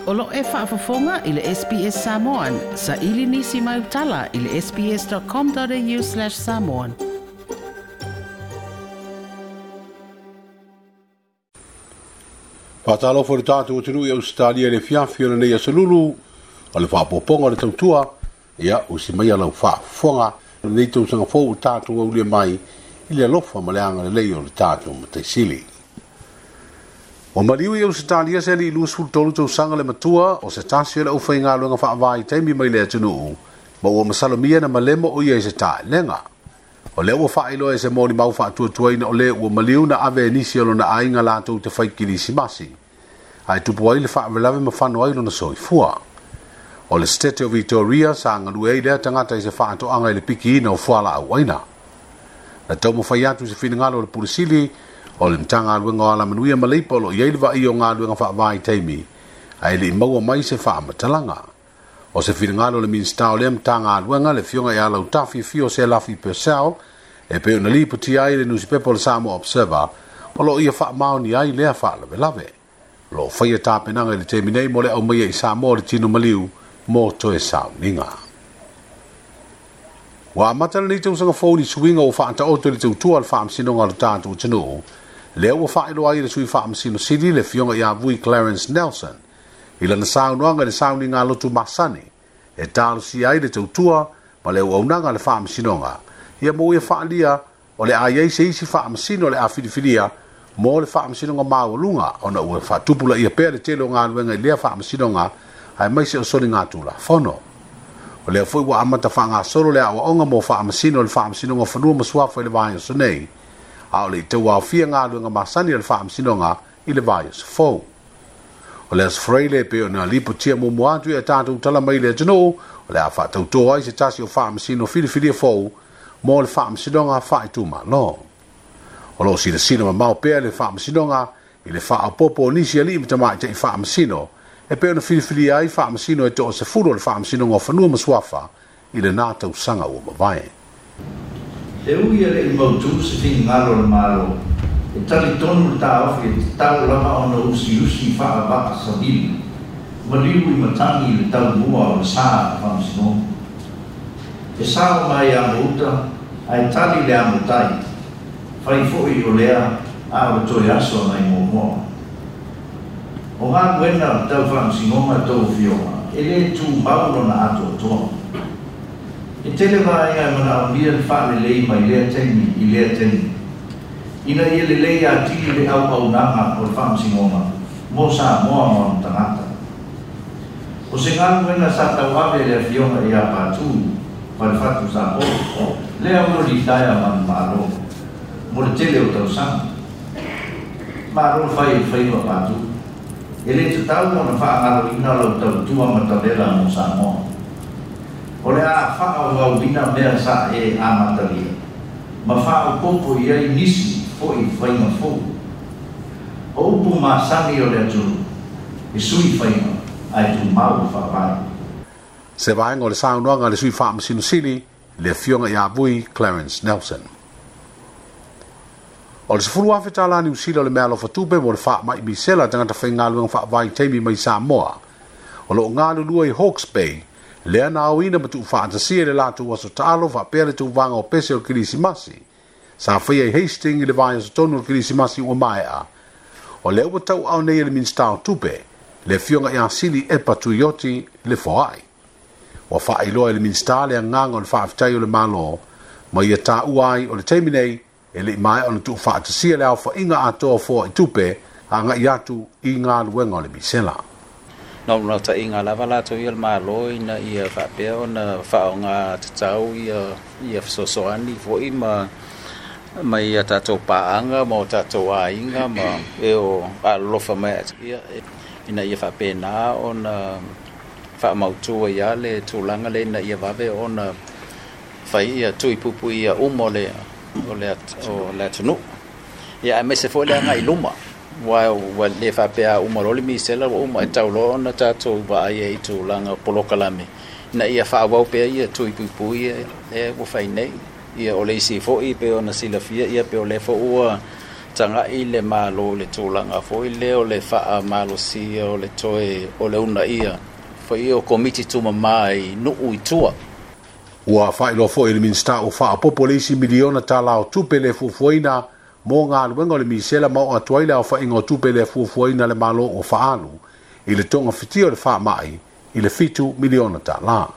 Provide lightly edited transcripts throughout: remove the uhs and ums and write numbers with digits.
O lo o e faafofoga i le SBS Samoan. Saili nisi mai tala i le sbs.com.au/samoan. Faatalofa i le tatou atunuu i Ausetalia i le afiafi o lenei aso Lulu o le faaopoopoga o le tautua. Ia, usi maia lau faafofoga i lenei tausaga fou ua tatou aulia mai i le alofa ma le agalelei o le tatou Matai Sili. Ua maliu i Ausetalia se alii 23 tausaga le matua o se tasi o le aufaigaluega faavaitaimi mai le atunuu ma ua masalomia na malemo o ia i se taelega. O lea ua faailoa e se molimau faatuatuaina o le ua maliu na ave e nisi o lona aiga latou te fai kilisimasi, ae tupu ai le faalavelave ma fano ai lona soifua. O le Setete o Victoria sa galue ai lea tagata i se faatoaga i le pikiina o fualaau aina. Na taumafai atu i se finagalo o le Pule Sili o le Matagaluega o Alamanuia ma Leipa o lo o i ai le vaaia o galuega faavaitaimi, ae le i maua mai se faamatalaga. O se finagalo o le Minisita o lea Matagaluega, le Afioga ia Lautafi Fio Selafi Purcell, e pei ona lipotia ai i le nusipepa o le Samoa Observer, o lo o ia faamaonia ai lea faalavelave. O lo o faia tapenaga i le taimi nei mo le aumaia i Samoa o le tino maliu mo toe sauniga. Ua amata lenei tausaga fou i suiga ua faataoto i le tautua a le Faamasinoga o le tatou atunuu, lea ua faailoa ai e le Sui Faamasino Sili, le Afioga ia Vui Clarence Nelson, i lana saunoaga i le sauniga lotu masani e talosia ai le tautua ma le auaunaga a le Faamasinoga, ia ma ua ia faaalia o le a i ai se isi faamasino o le a filifilia mo le Faamasinoga Maualuga ona ua faatupulaia pea le tele o galuega i lea faamasinoga aemaise o soligatulafono. O lea foi ua amata faagasolo le aoaoga mo faamasino o le Faamasinoga o Fanua ma Suafa i le vaiaso nei, a o le i tauaofia galuega masani a le Faamasinoga i le vaiaso fou. O le Aso Faraile e pei ona lipotia muamua atu i a tatou tala mai le atunuu, o le a faatautō ai se tasi o faamasino filifilia fou mo le Faamasinoga Faaitumalo. O lo o silasila mamao pea le Faamasinoga i le faaopoopo o nisi alii ma tamaitai faamasino e pei ona filifilia ai faamasino e toasefulu o le Faamasinoga o Fanua ma Suafa i lena tausaga ua mavae. E ui e le i mautū se finagalo o le Malo, e talitonu le taofi e tatau lava ona usiusi faavaa savili, maliu i matagi i le taumua o le sa a le Faamasinoga. E sao mai amo uta ae tali le amo tai, fai foi o lea a o le toe aso nai muamua. O galuega tau faamasinoga a outou afioga, e lē tumau lona atoatoa. E tele vaega e manaomia le faalelei mai lea taimi i lea taimi, ina ia lelei atili le auaunaga o le faamasinoga mo Samoa ma ona tagata. O se galuega sa tauave e le afioga ia Patu Falefatu Sapolo, lea ua litaea manumalo mo le tele o tausaga. Malo le fai o le faiva Patu. E lē tatau ona faagaloina lau tautua matavela mo Samoa. O le a faaauauina mea sa e amatalia ma faaopoopo i ai nisi foʻi faiga fou. O upu masani o le atunuu, e sui faiga ae tumau le faavae. Se vaega o le saunoaga a le Sui Faamasino Sili, le Afioga ia Vui Clarence Nelson. O le $10,000 Niu Sila o le meaalofa tupe mo le faamai misela a tagata faigaluega faavaitaimi mai Samoa o lo o galulue i Hawke's Bay, lea na aoina ma tuufaatasia i le latou aso taalo faapea le tauvaga o pese o le Kerisimasi sa faia i Hastings i le vaiaso tonu o le Kerisimasi ua maea. O lea ua tauaao nei e le Minisita o Tupe, le Afioga ia Sili Epa Tuioti le foai. Ua faailoa e le Minisita le agaga o le faafetai o le Malo ma ia taua ai o le taimi nei e le i maea ona tuufaatasia le aofaiga atoa o foai tupe agai atu i galuega o le misela. Na naunautaiga lava latou ia o le Malo ina ia faapea ona faaaoga tatau ia fesoasoani foi ma mai ia tatou paaga ma o tatou aiga ma e o alolofa mai ia ina ia faapena ona faamautu ai lava le tulaga lea ina ia vave ona fai ia tui puipuia uma o le atunuu. Ia aemaise foi le agai i luma, aua ua le faapea a uma loa le misela ua uma, e tatau loa ona tatou vaai ai i tulaga o polokalame ina ia faaauau pea ia tui puipui lea ua fai nei. Ia o le isi foi pei ona silafia, ia pei o lea foi ua Taga'i le Malo i le tulaga foi lea o le faamalosia o le toe o le uunaia foi o Komiti Tumamā i nuu i tua. Ua faailoa foi e le Minisita ua faaopoopo le isi miliona tala o tupe le fuafuaina mo galuega o le misela ma oo atu ai le aofaiga o tupe le fuafuaina a le Malo ua faaalu i le togafitia o le faamai i le $7 miliona tala.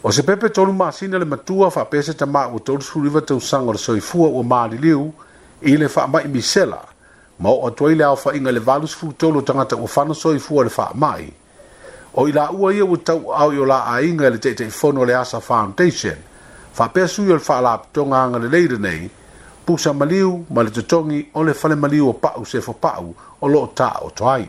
O se pepe 3 masina le matua faapea se tamā ua 39 tausaga o le soifua ua maliliu i le faamai misela ma oo atu ai le aofaiga i le 83 o tagata ua fano soifua i le faamai. O i laua ia ua tauaao i o la aiga e le Taitaifono o le ASA Foundation faapea sui o le Faalapotopotoga Agalelei lenei, pusa maliu ma le totogi o le fale maliu o Pa'u Sefo Pa'u o loo taoto ai.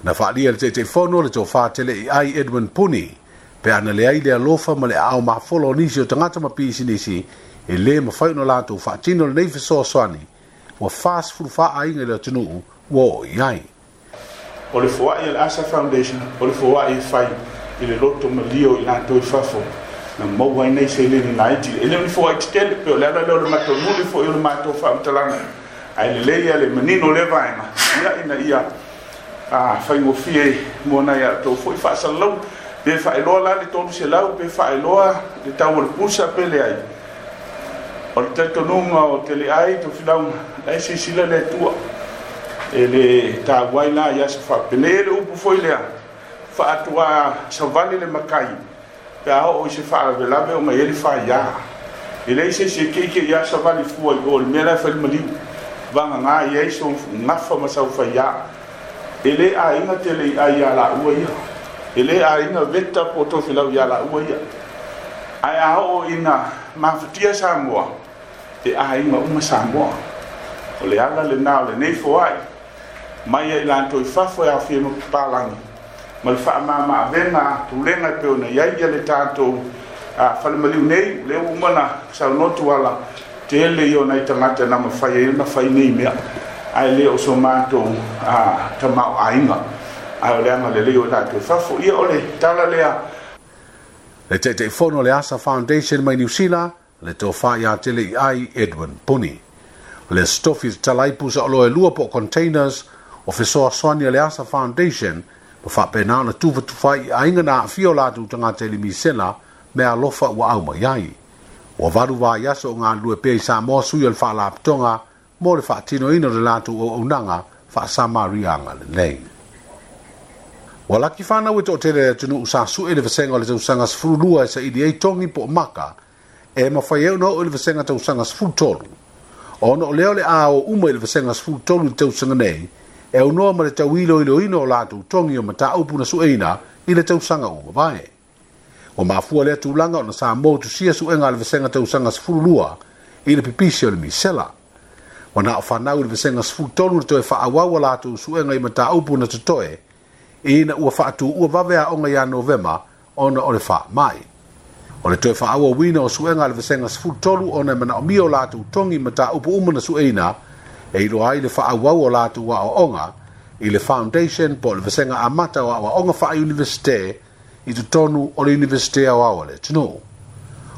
Na faaalia e le Taitaifono le tofa Teleiai Edwin Puni pe ana leai le alofa ma le aao mafola o nisi o tagata ma pisinisi e lē mafai ona latou faatino lenei fesoasoani ua 44 aiga i le atunuu ua oo i ai. O le foai a le ASA Foundation, o le foai e fai i le loto malie o i latou i fafo na maua ai nei seleni laiti. E le o ni foai tetele, pe o le ala lea o le matou muli foi o le matou faamatalaga, ae lelei ia le manino o lea vaega, ia ina ia faigofie mo nai a outou foi faasalalauga. Pe faailoa la le 300, pe faailoa le tau o le pusa pe leai. O le talitonuga o Teleai Tofilauga, la e silasila le Atua. E le taua ai la i aso faapenei le upu foi lea, faatuā savali le matai, pe a oo i se faalavelave ona i ai le faiā. E leai se isi e keikei a savali fua i o i le mea la e fai le maliu. Vagana i ai sou gafa ma sau faiā. E le aiga tele i ai ia laua ia. E le aiga veta po o Tofilau ia laua ia. Ae a oo ina mafatia Samoa, e aiga uma Samoa. O le ala lena o lenei foai mai ai latou i fafo e aofia ma papalagi ma le faamama-avega a pulega e pei ona i ai ia le tatou falemaliu nei. O lea ua uma ona saunoa Tuala, tele ia o nai tagata na mafai ai ona fai nei mea, ae le o so matou tamaoaiga, ae o le agalelei o i latou i fafo. Ia o le tala lea. Le Taitaifono o le ASA Foundation mai Niu Sila, le tofa ia Teleiai Edwin Puni. O le Aso Tofi tatala ai pusa oloa e lua po o containers o fesoasoani a le ASA Foundation ma faapena ona tufatufa ai i aiga na aafia o latou tagata i le misela meaalofa ua au mai ai. Ua 8 vaiaso o galulue pea i Samoa sui o le Faalapotopotoga mo le faatinoina o le latou auaunaga faa-Samaria agalelei. Ua laki whanau e toatele le atunuu sa sue le vasenga o le tausaga 12 e saili ai togi po o maka e mafai ai ona oo i le vasenga tausaga 13. Ona o lea o le a o uma i le vasenga 13 i le tausaga nei, e aunoa ma le tauiloiloina o latou togi o mataupu na sueina i le tausaga ua mavae. Ua mafua lea tulaga ona sa motusia suega a le vasenga tausaga 12 i le pipisi o le misela. Ua na o whanau i le vasenga 13 le toe faaauau a latou suega i mataupu na totoe ina ua faatuua vave aoga ia Novema ona o le faamai. O le toe faaauauina o suega a le vasenga 13 ona e manaomia o latou togi mataupu uma na sueina e iloa ai le faaauau o latou aoaoga i le Foundation po o le vasenga amata o aoaoga faa-Universite i totonu o le Universite Aoao a le atunuu.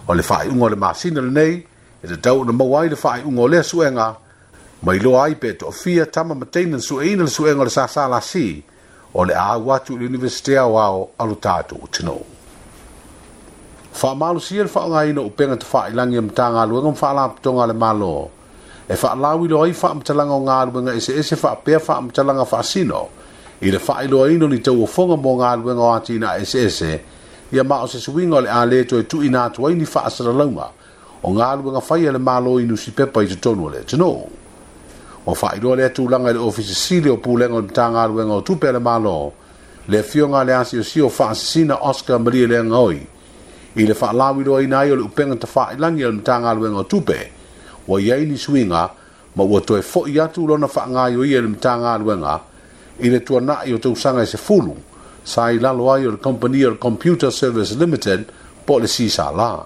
O le faaiuga o le masina lenei e tatau ona maua ai le faaiuga o lea suega ma iloa ai pe toafia tama ma teine na sueina le suega o le SSLC o le a au atu i le Universite Aoao a lo tatou atunuu. Faamalosia le faaaogaina o upega tafailagi a Matagaluega ma Faalapotopotoga a le Malo e faalauiloa ai faamatalaga o galuega eseese faapea faamatalaga faasino i le faailoaina o ni tauofoga mo galuega o atinae eseese ia ma o se suiga o le a le toe tuuina atu ai ni faasalalauga o galuega fai a le Malo i nusipepa i totonu o le atunuu. Ua faailoa lea tulaga i le Ofisa Sili o Pulega o le Matagaluega o Tupe a le Malo, le afioga a le asiosio o Faasisina Oscar Malielegaoi, i le faalauiloaina ai o le upega tafailagi a le Matagaluega o Tupe, ua i ai ni suiga ma ua toe foi atu lona faagaoioia i le Matagaluega i le tuanai o tausaga e 10 sa i lalo ai o le Kamupani o le Computer Service Limited po o le CSL.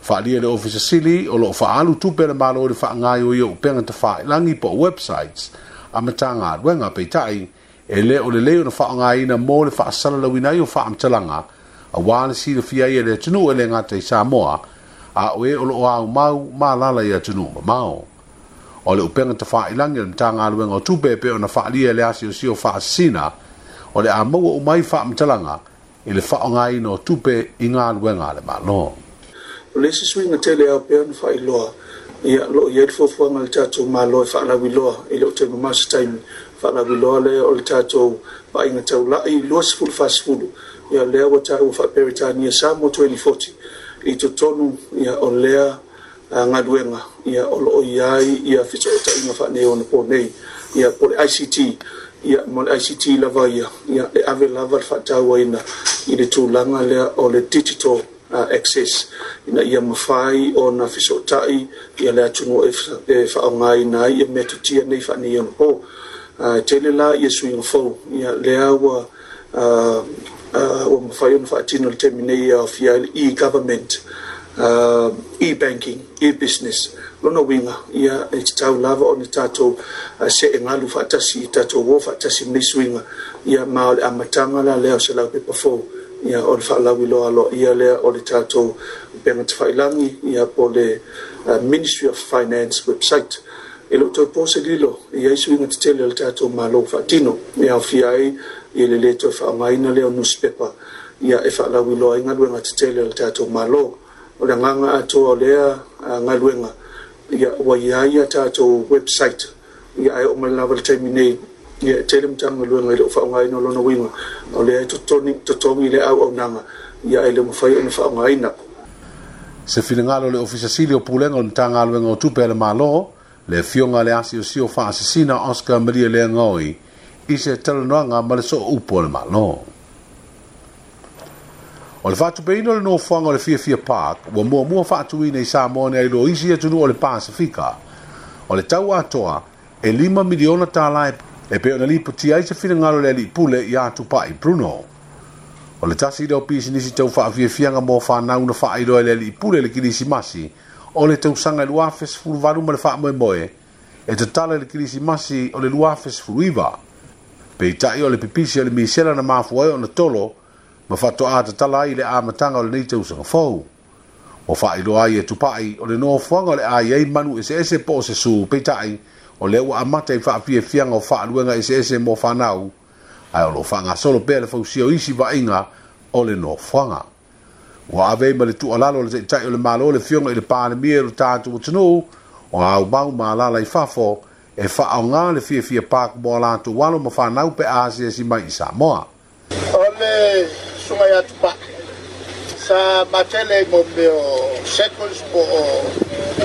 Faaalia le Ofisa Sili o loo faaalu tupe a le Malo i le faagaoioia o upega tafailagi po o websites a Matagaluega, peitai e le o lelei ona faaaogaina mo le faasalalauina ai o faamatalaga auā le silafia ai e le atunuu e le gata i Samoa a o e o loo aumau ma alaala i atunuu mamao. O le upega tafailagi a le Matagaluega o Tupe e pei ona faaalia i le asiosio faasasina, o le a maua uma ai faamatalaga i le faaaogaina o tupe i galuega a le Malo. O le isi suiga tele e ao pea ona faailoa, ia, o lo o i ai le fuafuaga a le tatou Malo e faalauiloa, e le o toe mamao se taimi, faalauiloa lea o le tatou vaaiga taulai 2040, ia, lea ua taua faa-Peretania Samoa 2040 i totonu ia, o lea galuega ia, o lo o i ai ia fesootaiga faaneionapo nei, ia, po o le ICT, ia, ma le ICT lava ia, ia, e ave lava le faatauaina i le tulaga lea o le digital access ina ia mafai ona fesootai ia le atunuu e faaaogaina ai ia metotia nei faaneionapo. E tele la ia suiga fou ia lea ua ua mafai ona faatino i le taimi nei e aofia ai le e-government, e-banking, e-business. Lona uiga, ia, e tatau lava ona tatou see galu faatasi, tatou o faatasi ma nei suiga, ia, ma o le amataga la lea o se laupepa fou, ia, o le faalauiloa aloaia lea o le tatou upega tafailagi, ia, po o le Ministry of Finance website. E le o toe po se lilo, e i ai suiga tetele a le tatou Malo ua faatino, e aofia ai i le lē toe faaaogaina lea o nusipepa, ia, e faalauiloa ai galuega tetele a le tatou Malo. O le agaga atoa o lea galuega, ia, ua i ai a tatou website, ia, ae oo mai lava i le taimi nei, ia, e tele Matagaluega e le o faaaogaina. O lona uiga, o lea e totogi le auaunaga, ia, ae le o mafai ona faaaogaina. Se finagalo o le Ofisa Sili o Pulega o le Matagaluega o Tupe a le Malo, le Afioga i le Asiosio Faasasina Oscar Malielegaoi i se talanoaga ma le Sooupu o le Malo. O le faatupeina o le nofoaga o le Fiafia Park ua muamua faatuina i Samoa nei lo isi atunuu o le Pasefika. O le tau atoa e $5 miliona e pei ona lipotia ai se finagalo o le alii pule ia Tupai Bruno. O le tasi lea o pisinisi tau faafiafiaga mo fanau na faailoa e le alii pule i le Kilisimasi o le tausaga 2018 ma le faamoemoe e tatala i le Kilisimasi o le 2019. Peitai o le pipisi o le misela na mafua ai ona tolo ma faatoa tatala ai i le amataga o lenei tausaga fou. Ua faailoa ai e Tupai o le nofoaga o le a i ai manu eseese po o se su, peitai o lea ua amata i faafiafiaga o faaluega eseese mo fanau, ae o lo o faagasolo pea le fausia o isi vaaiga o le nofoaga. Ua ave ai ma le tuualalo a le Taitai o le Malo le Afioga i le Palemia o le tatou atunuu o aumau ma alaala i fafo e faaaoga le Fiafia Park mo a latou alo ma fanau pe a asiasi mai i Samoa. O le susuga ia Tupai, sa matele i mo mea o circus po o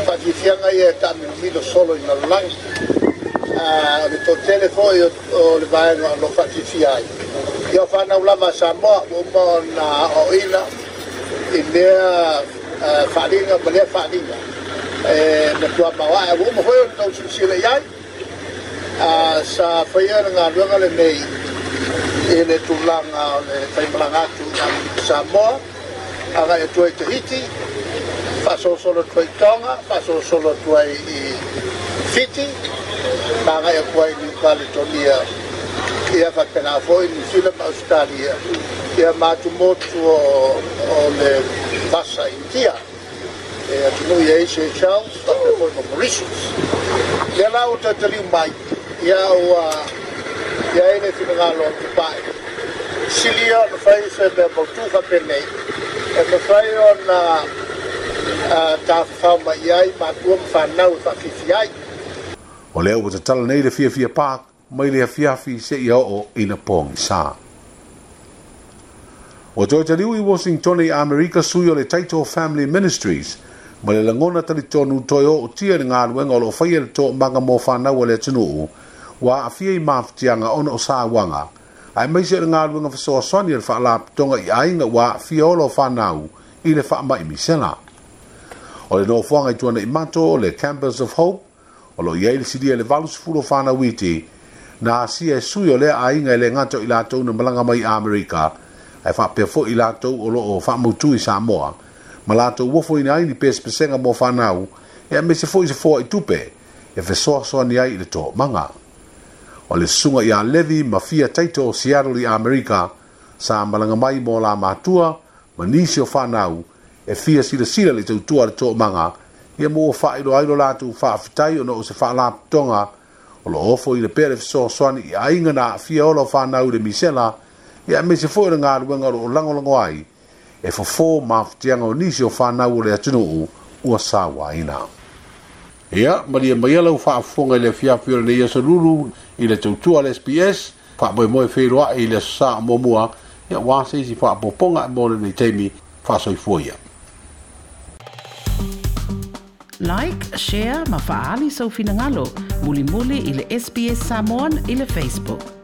faafiafiaga ia e taamilomilo solo i lalolagi. O le toatele foi o le vaega o lo o faafiafia ai, ia o fanau lava a Samoa ua uma ona aoaoina i lea faaaliga ma lea faaaliga e matua maoae. Ua uma foi ona tou silasila i ai, sa faia le galuega lenei i le tulaga o le faimalaga atu i Samoa, agai atu ai i Tahiti, faasolosolo atu ai i Tonga, faasolosolo atu ai i Fiti, ma agai atu ai i New Caledonia, ia faapena foi Niu Sila ma Ausetalia, ia ma atumotu o le Vasa Initia, e atunuu i ai Seychelles, faapea foi ma Mauritius. Lea la ua toe taliu mai, ia ua i ai le finagalo o Tupai, sili ia ona fai se mea mautu faapenei, e mafai ona tafafao mai i ai matua ma fanau e faafiafia ai. O lea ua tatala nei le Fiafia Park mai le afiafi seia oo ina pogisa. Ua toe taliu i Washington i Amerika sui o le Taito Family Ministries ma le lagona talitonu toe ootia i le galuega o lo o faia le toomaga mo fanau a le atunuu ua aafia i mafatiaga ona o sauaga, aemaise o le galuega fesoasoani a le Faalapotopotoga i aiga ua aafia ola o fanau i le faamai misela. O le nofoaga i Tuanaimato o le Campus of Hope o lo o i ai le silia i le 80 o fanau iti na asia e sui o lea aiga e le gata o i latou na malaga mai i Amerika ae faapea foi i latou o lo o faamautu i Samoa ma latou ofoina ai ni pesepesega mo fanau e aemaise foi se foai tupe e fesoasoani ai i le toomaga. O le susuga ia Levi ma Fia Taito o Seattle i Amerika sa malaga mai mo la matua ma nisi o fanau e fia silasila i le tautua a le toomaga Ia mo ua faailoa ai lo latou faafetai ona o se faalapotopotoga o lo o ofoina pea le fesoasoani i aiga na aafia ola o fanau i le misela, ia aemaise foi o le galuega o lo o lagolago ai e fofo mafatiaga o nisi o fanau o le atunuu ua sauaina. Ia, malie maia lau faafofoga i le afiafi o lenei aso Lulu i le tautua a le SBS, faamoemoe feiloai i le Aso Sa o muamua, ia aua se isi faaopoopoga mo lenei taimi, faasoifua ia. Like, share ma faaali sou finagalo mulimuli i le SBS Samoan i le Facebook.